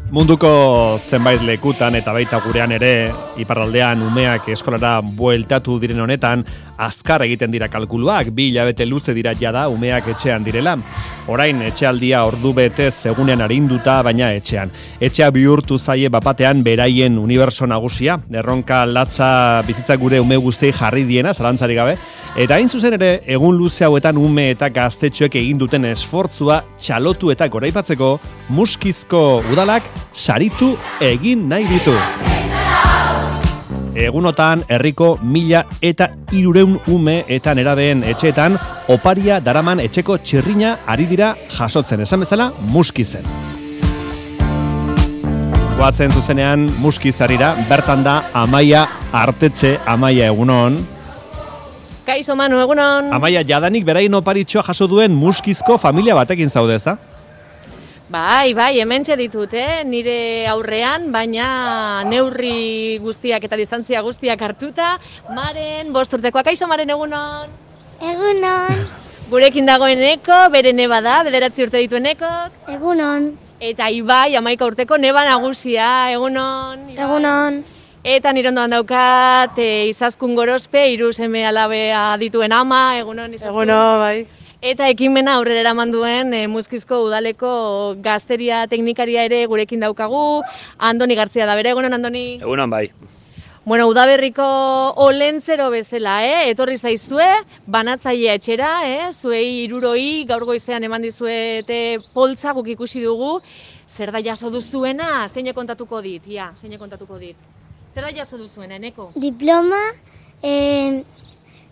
Munduko zenbait lekutan eta baita gurean ere, iparraldean umeak eskolara bueltatu diren honetan, azkar egiten dira kalkuluak, 2 hilabete luze dira jada umeak etxean direla. Orain etxealdia ordu betez egunean arinduta, baina etxean. Etxea bihurtu zaie bapatean beraien uniberso nagusia, erronka latza bizitza gure ume guztiei jarri diena, zalantzari gabe, eta hain zuzen ere, egun luze hauetan ume eta gaztetxoek egin duten esfortzua txalotu eta goraipatzeko, Muskizko udalak saritu egin nahi ditu. Egunotan, herriko 1.300 ume eta nerabeen etxeetan oparia daraman etxeko txirrina ari dira jasotzen, esan bezala Muskizen. Goazen zuzenean Muskizarira, bertan da Amaia Artetxe. Amaia, egunon. Kaixo Manu, egunon. Amaia, jadanik berain oparitxoa jaso duen Muskizko familia batekin zaude, ezta? Bai, hementxe ditut, nire aurrean, baina neurri guztiak eta distantzia guztiak hartuta, Maren, 5 urtekoa. Kaixo Maren, egunon. Egunon. Gurekin dagoen Eko, bere neba da, 9 urte dituen Ekok. Egunon. Eta Ibai, 11 urteko neba nagusia, egunon. Ibai. Egunon. Eta nire ondoan daukat, Izaskun Gorospe, 3 seme alabea dituen ama, egunon Izaskun. Egunon, bai. Eta ekimena aurrera eraman duen Muskizko udaleko gazteria teknikaria ere gurekin daukagu, Andoni Gartzia da bere, egunon Andoni? Egunon bai. Bueno, udaberriko olentzero bezala, etorri zaizue, banatzailea etxera, zuei 300 gaur goizean eman dizuete poltsa guk ikusi dugu, zer da jaso duzuena, zeine kontatuko dit, zeine kontatuko dit. Zer da jaso duzuena, Eneko? Diploma,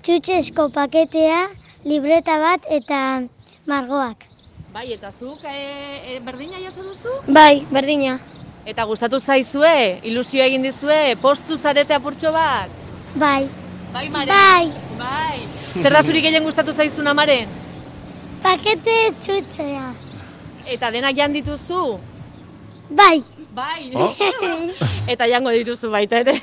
txutxesko paketea, libreta bat eta margoak. Bai, eta zuk berdina jaso duzu? Bai, berdina. Eta gustatu zaizue, ilusio egin dizue, postu zarete apurtxo bat? Bai. Bai, Maren? Bai. Zer da zuri gehien gustatu zaizuna, Maren? Pakete txutxea. Eta denak jan dituzu? Bai. Bai. Eta jango dituzu baita ere.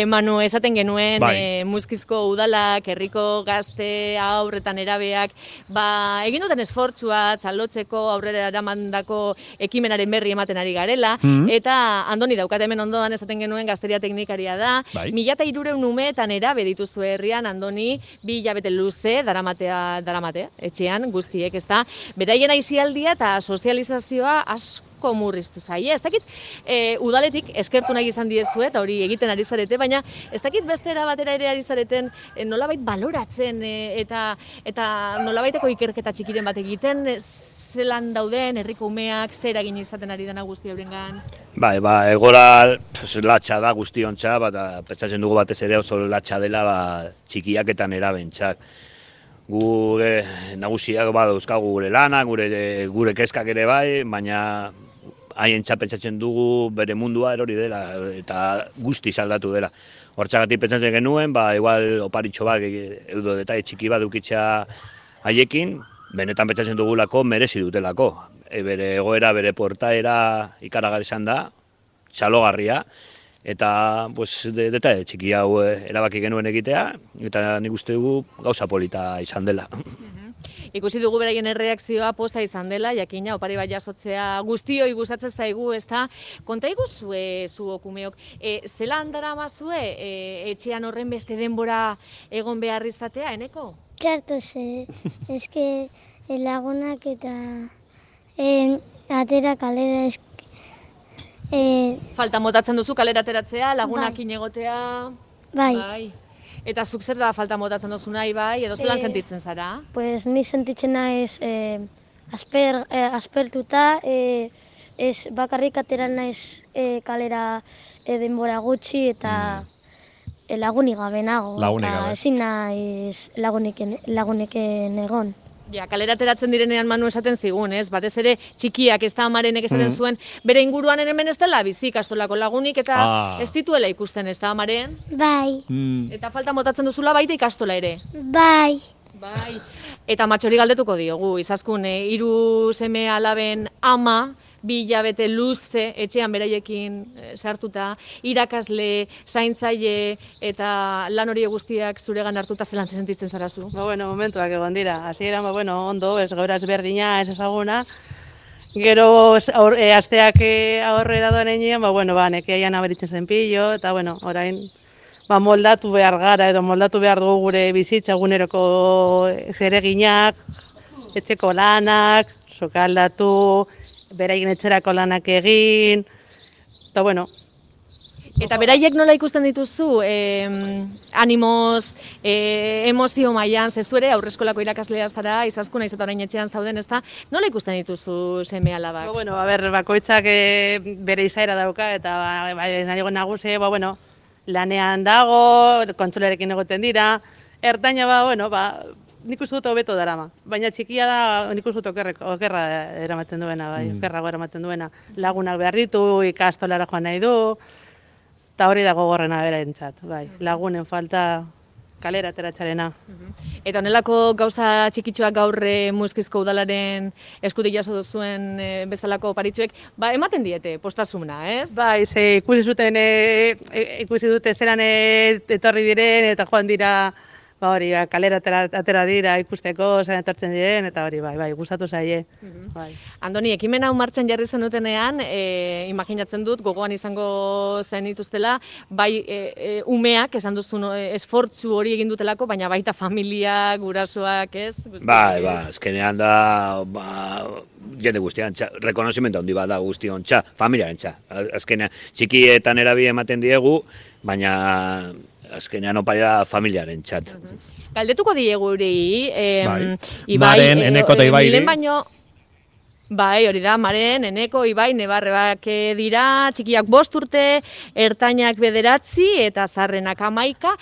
Manu, esaten genuen, Muskizko udalak, herriko gazte, haur eta nerabeak, egin duten esfortzua, txalotzeko, aurrera eramandako ekimenaren berri ematen ari garela, eta Andoni daukat hemen ondoan esaten genuen gazteria teknikaria da, 1.300 ume eta nerabe dituzu herrian, Andoni, 2 hilabete luze, daramatea, etxean, guztiek, ezta, beraien aisialdia eta sozializazioa asko murriztu zaie. Ez dakit, udaletik eskertu nahi izan diezu eta hori egiten ari zarete, baina ez dakit beste era batera ere ari zareten nolabait baloratzen eta nolabaiteko ikerketa txikiren bat egiten, zelan dauden herriko umeak, zer egin izaten ari dena guzti horrengan? Bai, egora latxa da guztiontza, eta pentsatzen dugu batez ere oso latxa dela txikiak eta nerabentzak. Gure nagusiak dauzkagu gure lana, gure kezkak ere bai, baina haien pentsatzen dugu bere mundua erori dela eta guzti saldatu dela. Hortxagatik pentsatzen genuen, igual oparitxo bat, edo detaile txiki bat dukitza haiekin, benetan pentsatzen dugulako merezi dutelako. Bere egoera, bere portaera ikaragarri izan da, txalogarria, eta detaile txiki hau erabaki genuen egitea, eta nik uste dugu gauza polita izan dela. Ikusi dugu beraien erreakzioa posta izan dela, jakina opari bat jasotzea guztioi gustatzen zaigu, ezta? Konta iguzue zuok umeok, zelan daramazue etxean horren beste denbora egon behar izatea, Eneko? Txarto eske lagunak eta atera kalera Falta motatzen duzu kalera ateratzea, lagunakin egotea? Bai. Eta zuk zer da falta motatzen duzu nahi bai, edo zelan sentitzen zara? Pues ni sentitzen naiz aspertuta, bakarrik atera naiz kalera denbora gutxi eta lagunik gabe nago. Eta ezin naiz laguneken egon. Kalera ateratzen direnean Manu esaten zigun, ez? Batez ere txikiak ez da Amarenek esaten zuen, bere inguruan hemen ez dela bizi ikastolako lagunik eta ez dituela ikusten, ez da Amaren? Bai. Eta falta motatzen duzula baita ikastola ere? Bai. Eta matxori galdetuko diogu, Izaskun, 3 seme alaben ama, 2 hilabete luze etxean beraiekin sartuta, irakasle, zaintzaile eta lan hori guztiak zuregan hartuta zelan sentitzen zara zu? Momentuak egon dira. Hasieran, ondo, ez gauraz berdina, ez ezaguna, Gero asteak aurrera doan enean, nekeian aberitzen zen pillo, eta orain moldatu behar gara edo moldatu behar dugu gure bizitza eguneroko zereginak, etxeko lanak, sokaldatu, beraien etxerako lanak egin, eta Eta beraiek nola ikusten dituzu, animoz, emozio mailan, zestu ere aurreskolako irakaslea zara, izaskun naiz eta orain etxean zauden, ezta? Nola ikusten dituzu seme-alabak? Bakoitzak bere izaera dauka eta nagusi, lanean dago, kontsolerekin egoten dira, ertaina nik uste dut hobeto darama. Baina txikia da nik uste dut okerra eramaten duena, okerrago eramaten duena. Lagunak behar ditu, ikastolara joan nahi du, eta hori dago gorrena berentzat, lagunen falta kalera ateratzearena. Eta honelako gauza txikitsuak gaur Muskizko udalaren eskutik jaso duzuen bezalako paritxuek, ematen diete postasuna, ez? Ze ikusi dute zelan etorri diren eta joan dira kalera atera dira ikusteko, zelan etortzen diren, eta hori gustatu zaie. Andoni, ekimen hau martxan jarri zenutenean, imaginatzen dut, gogoan izango zenituztela, umeak, esan duzun, esfortzu hori egin dutelako, baina baita familia, gurasoak, ez? Azkenean da, jende guztian, rekonozimendu handi bat da guztion familiaren Azkenean, txikietan erabi ematen diegu, baina azkenean oparia familiaren txat. Galdetuko diegu hori, Maren, Eneko eta Ibairi. Hori da, Maren, Eneko, Ibai, nebarrebak dira, txikiak 5 urte, ertainak 9 eta zaharrenak 11,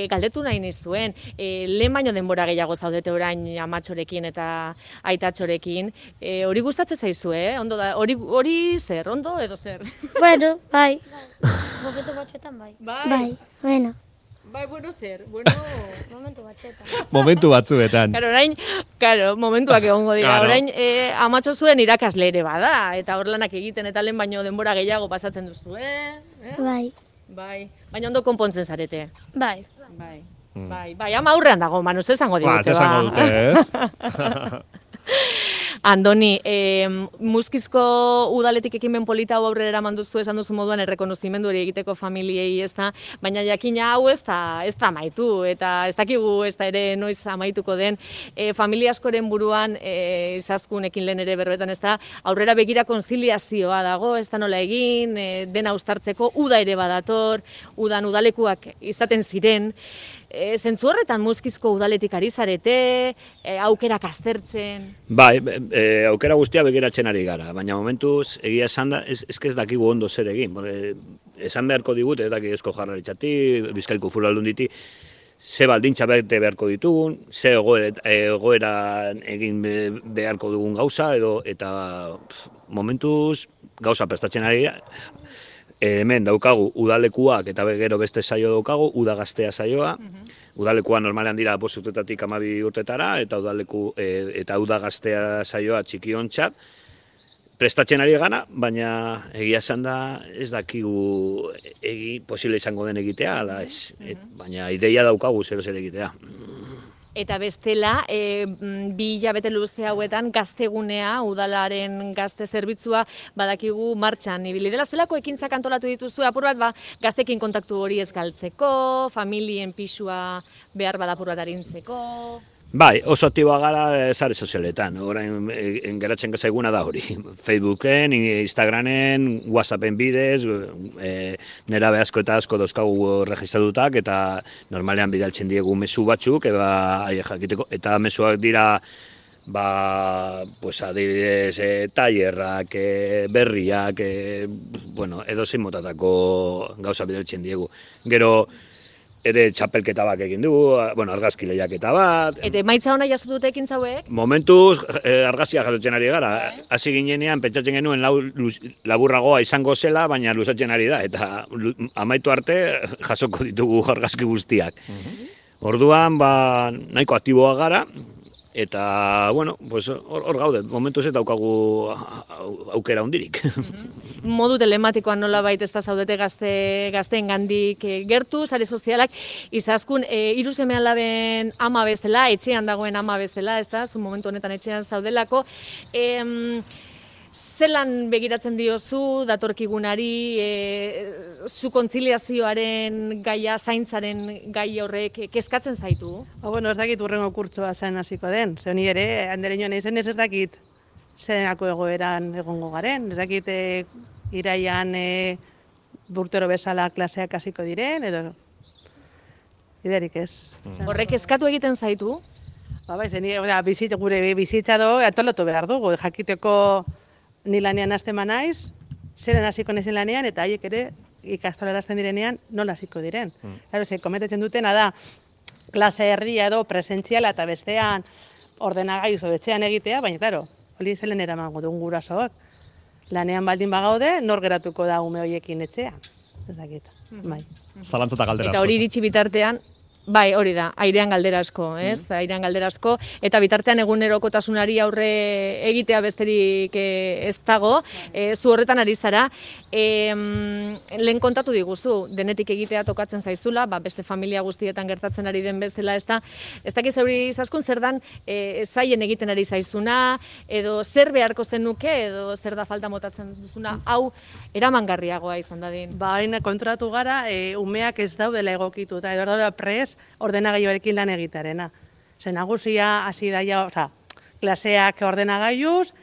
galdetu nahi nizuen. Lehen baino denbora gehiago zaudete orain amatxorekin eta aitatxorekin. Hori gustatzen zaizu, Ondo da, hori zer, ondo edo zer? Momentu batzuetan bai. Zer? Momentu batzuetan. Momentuak egongo dira. Orain, amatxo zuen irakasle ere bada, eta hor lanak egiten eta lehen baino denbora gehiago pasatzen duzu, Bai. Baina ondo konpontzen zarete. Bai. Ama aurrean dago, manuz esango digute, esango dute, ez? Andoni, Muskizko udaletik ekimen polita hau aurrera eraman duzu esan duzu moduan errekonozimendu hori egiteko familiei, ezta, baina jakina hau ez da amaitu, eta ez dakigu ez da ere noiz amaituko den, familia askoren buruan, izazkunekin lehen ere berbetan, ez da, aurrera begira konziliazioa dago, ez da nola egin, dena uztartzeko, uda ere badator, udan udalekuak izaten ziren, zentzu horretan Muskizko udaletik ari zarete, aukerak aztertzen? Aukera guztia begiratzen ari gara, baina momentuz egia esan da, ez dakigu ondo zer egin. Esan beharko digut, ez dakik Eusko Jaurlaritzati, Bizkaiko Foru Aldunditi, ze baldintza bete beharko ditugun, ze egoera egin beharko dugun gauza, eta momentuz gauza prestatzen ari gara. Hemen daukagu udalekuak eta gero beste saio daukagu, uda gaztea saioa. Udalekua normalean dira 5 urtetatik 12 urtetara, eta uda gaztea saioa txikiontzat. Prestatzen ari gana, baina egia esan da ez dakigu posible izango den egitea, baina ideia daukagu zer egitea. Eta bestela, 2 hilabete luze hauetan gaztegunea, udalaren gazte zerbitzua badakigu martxan ibili dela. Zelako ekintzak antolatu dituzu, apur bat gaztekin kontaktu hori ez galtzeko, familien pisua behar bada apur bat arintzeko? Oso aktiboa gara sare sozialetan, orain geratzen gazaiguna da hori. Facebooken, Instagramen, Whatsappen bidez, nerabe asko eta asko dauzkagu registratutak, eta normalean bidaltzen diegu mezu batzuk, eta mezuak dira, adibidez, tailerrak, berriak, edozein motatako gauza bidaltzen diegu. Gero, ere txapelketa bak egin dugu, argazki lehiaketa bat. Eta emaitza hona jaso dute ekintza hauek? Momentuz, argazkia jasotzen ari gara. Hasi ginenean, pentsatzen genuen laburragoa izango zela, baina luzatzen ari da. Eta amaitu arte, jasoko ditugu argazki guztiak. Orduan, nahiko aktiboa gara, eta, hor gaude, momentuz ez daukagu aukera hundirik. Modu telematikoan nola baita ez da zaudete gazteen gandik gertu, sare sozialak, izaskun, 3 seme-alaben ama bezala, etxean dagoen ama bezala, ez da, zu momentu honetan etxean zaudelako. zelan begiratzen diozu datorkigunari, zu kontziliazioaren gaia, zaintzaren gai horrek kezkatzen zaitu? Bueno, ez dakit urrengo kurtsoa zen hasiko den. Ze honi ere, handereñoan izen ez dakit zenako egoeran egongo garen. Ez dakit iraian urtero bezala klaseak hasiko diren, edo iderik ez. Horrek eskatu egiten zaitu? Bai, gure bizitza antolatu behar dugu. Jakiteko ni lanean hasten naiz, zeren hasiko naizen lanean, eta haiek ere ikastolara hasten direnean nola hasiko diren. Claro, komentatzen dutena da, klase erdia edo presentziala eta bestean ordenagailu betxean egitea, baina, claro, hori zelen eramango dugun gurasoak. Lanean baldin bagaude, nor geratuko da ume horiekin etxean. Ez dakit, bai. Zalantza eta galdera asko. Eta hori iritsi bitartean, bai, hori da, airean galdera asko, ez? Airean galdera asko, eta bitartean egunerokotasunari aurre egitea besterik ez dago, zu horretan ari zara. Lehen kontatu diguzu, denetik egitea tokatzen zaizula, beste familia guztietan gertatzen ari den bezala, ez dakiz hori izaskun zer dan zaien egiten ari zaizuna, edo zer beharko zenuke, edo zer da falta motatzen duzuna, hau eramangarriagoa izan dadin. Hain kontratu gara, umeak ez daudela egokituta, edo daudela prez, ordenagailuarekin lan egitarena. Nagusia hasi daia, klaseak ordenagailuz,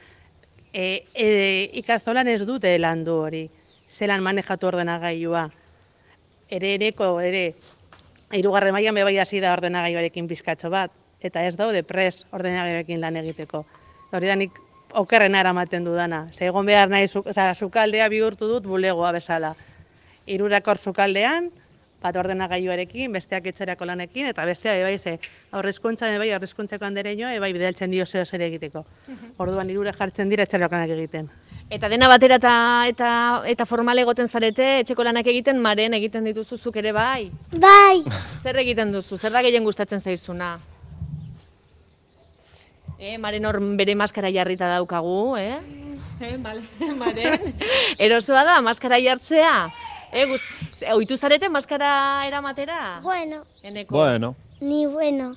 ikastolan ez dute landu hori, zelan manejatu ordenagailua. Ere, hirugarren mailan bai hasi da ordenagailuarekin bizkatxo bat, eta ez daude prez ordenagailuarekin lan egiteko. Hori da nik okerrena eramaten dudana. Egon behar nahi, sukaldea bihurtu dut bulegoa bezala. Hirurakor sukaldean, bat ordenagailuarekin, besteak etxerako lanekin, eta bestea aurrezkuntzako handereñoa, bidaltzen dio zeo zer egiteko. Orduan hirura jartzen dira etxerako lanak egiten. Eta dena batera eta formal egoten zarete, etxeko lanak egiten, Maren egiten dituzuzuk ere bai? Bai. Zer egiten duzu? Zer da gehien gustatzen zaizuna? Maren hor bere maskara jarrita daukagu, Maren? Erosoa da, maskara jartzea? Oitu zarete maskara eramatera? Bueno. Eneko? Bueno. Ni bueno.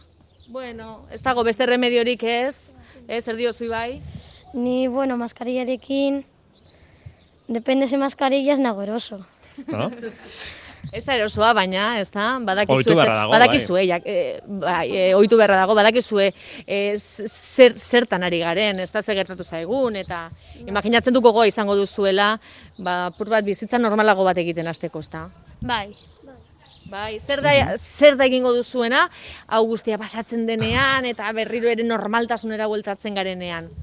Bueno, ez dago beste remediorik ez? Zer diozu bai? Ni, bueno, maskarillarekin, depende ze mascarillas nago eroso. No? Ez da erosoa, baina, ez da? Ohitu beharra dago, ohitu beharra dago, badakizue zertan ari garen, ez da ze gertatu zaigun, eta imaginatzen du gogoa izango duzuela, pur bat bizitza normalago bat egiten hasteko, ez da? Bai. Bai, zer da egingo duzuena, hau guztia pasatzen denean, eta berriro ere normaltasunera bueltatzen garenean.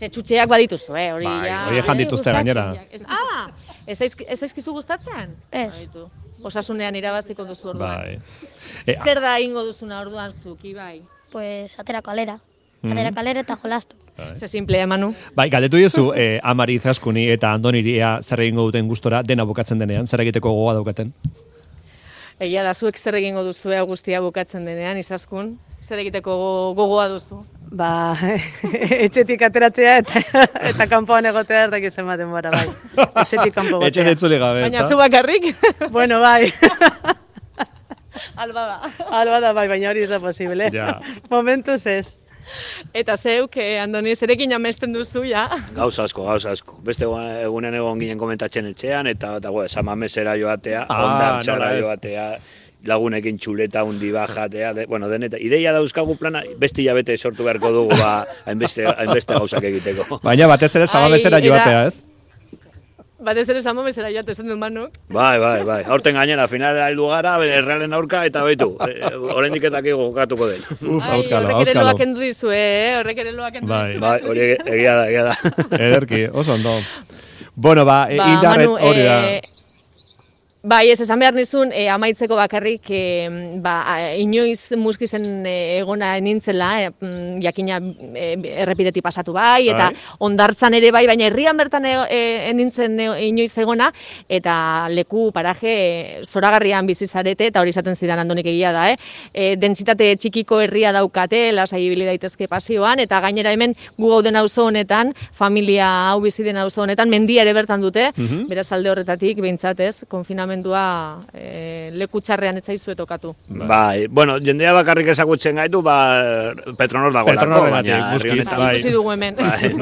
Txutxeak badituzu, hori ja... Hori ejan dituzte gainera. Ez zaizkizu gustatzen? Ez. Osasunean irabaziko duzu orduan. Bai. Zer da egingo duzuna orduan zuk, Ibai? Pues atera kalera. Atera kalera eta jolastu. Ze simplea, Manu. Bai, galdetu diozu Amari Izaskuni eta Andoniria zer egingo duten gustora dena bukatzen denean, zer egiteko gogoa daukaten? Egia da, zuek zer egingo duzu guztia bukatzen denean, Izaskun? Zer egiteko gogoa duzu? Etxetik ateratzea eta kanpoan egotea ez dakiz ematen bora, bai. Etxetik kanpo gotea. Etxen etzule gabe, ez da? Baina zu bakarrik? Bueno, bai. Alba da, bai, baina hori ez da posible. Ja. Momentuz ez. Eta zeuk, Andoni, zerekin amesten duzu, ja? Gauza asko. Beste egunen egon ginen komentatzen etxean, eta samamesera joatea, ondartxara joatea, lagunekin txuleta hundi bajatea, deneta. Ideia dauzkagu plana, beste hilabete sortu beharko dugu, hainbeste gauzak egiteko. Baina batez ere samamesera joatea, ez? Batez ere samamesera joatea, esan du Manuk. Bai. Aurten gainera, finalera heldu gara, errealen aurka, eta baitu, oraindik etakigo jokatuko den. Auskalo. Horrek ere loak endu dizue, horrek ere loak endu dizue. Bai, hori egia da. Ederki, oso ondo. Bueno, indarret hori da. Bai, ez esan behar nizun, amaitzeko bakarrik, inoiz muskizen egona nintzela, jakina errepideti pasatu bai, eta ondartzan ere bai, baina herrian bertan nintzen inoiz egona, eta leku paraje zoragarrian bizizarete, eta hori izaten zidan Andonik egia da, dentsitate txikiko herria daukate, lasai ibili daitezke pasioan, eta gainera hemen gu gauden auzo honetan, familia hau bizi den auzo honetan, mendia ere bertan dute, beraz alde horretatik, behintzat ez, konfinamendu funtzionamendua leku txarrean ez zaizu tokatu. Bai, bueno, jendea bakarrik ezagutzen gaitu, Petronor dago lako, baina herri honetan. Ikusi dugu hemen.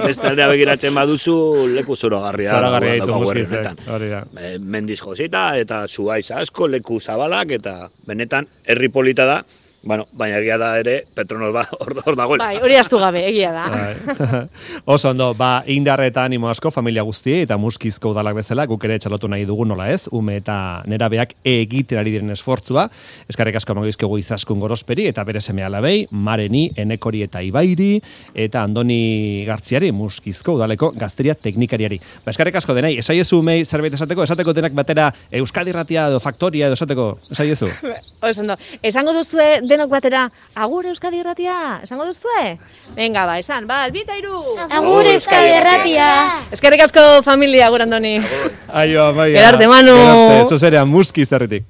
Beste aldea begiratzen baduzu, leku zoragarria. Zoragarria ditu muskizek, hori da. Mendiz josita eta zuaiz asko, leku zabalak, eta benetan herri polita da. Bueno, baina egia da ere, Petronor hor dagoela. Bai, hori astu gabe, egia da. Oso ondo, Indarre eta animo asko familia guztiei eta Muskizko udalak bezala, guk ere txalotu nahi dugu nola ez, ume eta nerabeak egiten ari diren esfortzua, eskarrik asko amagoizkegu Izaskun Gorosperi eta bere seme alabei, Mareni, Enekori eta Ibairi, eta Andoni Gartziari, Muskizko udaleko gazteria teknikariari. Eskarrik asko denei, esaiezu umei zerbait esateko denak batera Euskadi Irratia edo Faktoria edo esateko, esaiezu? Oso ondo, esango duzue denok batera, agur Euskadi Irratia, esango duzue? Venga, esan, albita iru! Agur Euskadi Irratia! Eskerrik asko familia, agur Andoni. Aio, amaia. Gerarte, Manu. Gerarte, zuzerean Muskiz herritik.